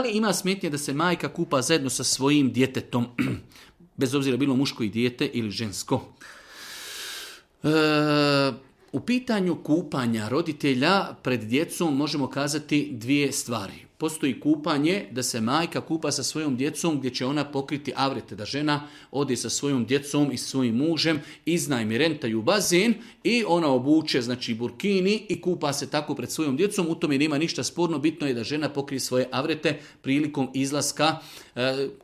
Da li ima smetnje da se majka kupa zajedno sa svojim djetetom, bez obzira bilo muško i dijete ili žensko? U pitanju kupanja roditelja pred djecom možemo kazati dvije stvari. Postoji kupanje da se majka kupa sa svojom djecom gdje će ona pokriti avrete, da žena ode sa svojom djecom i svojim mužem, iznajmi, rentaju bazen i ona obuče burkini i kupa se tako pred svojom djecom. U tome nema ništa sporno, bitno je da žena pokrije svoje avrete prilikom izlaska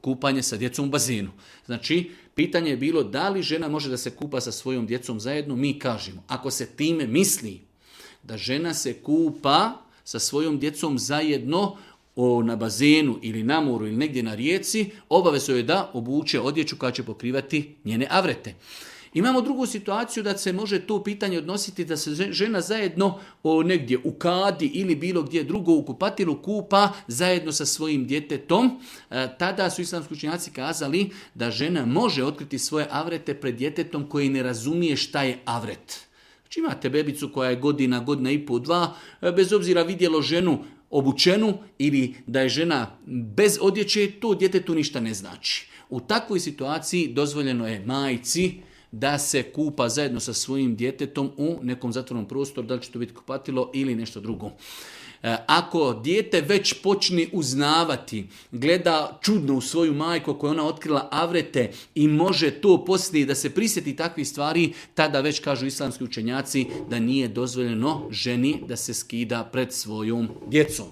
kupanja sa djecom u bazenu. Znači, pitanje je bilo da li žena može da se kupa sa svojom djecom zajedno. Mi kažemo, ako se time misli da žena se kupa sa svojom djecom zajedno na bazenu ili na moru ili negdje na rijeci, obavezno je da obuče odjeću koja će pokrivati njene avrete. Imamo drugu situaciju da se može to pitanje odnositi da se žena zajedno negdje u kadi ili bilo gdje drugo u kupatilu kupa zajedno sa svojim djetetom. Tada su islamski učenjaci kazali da žena može otkriti svoje avrete pred djetetom koji ne razumije šta je avret. Znači imate bebicu koja je godina i pol, 2, bez obzira vidjelo ženu obučenu ili da je žena bez odjeće, to djetetu ništa ne znači. U takvoj situaciji dozvoljeno je majci da se kupa zajedno sa svojim djetetom u nekom zatvornom prostoru, da li će to biti kupatilo ili nešto drugo. Ako dijete već počne uznavati, gleda čudno u svoju majku koja je ona otkrila avrete i može to poslije da se prisjeti takvih stvari, tada već kažu islamski učenjaci da nije dozvoljeno ženi da se skida pred svojom djecom.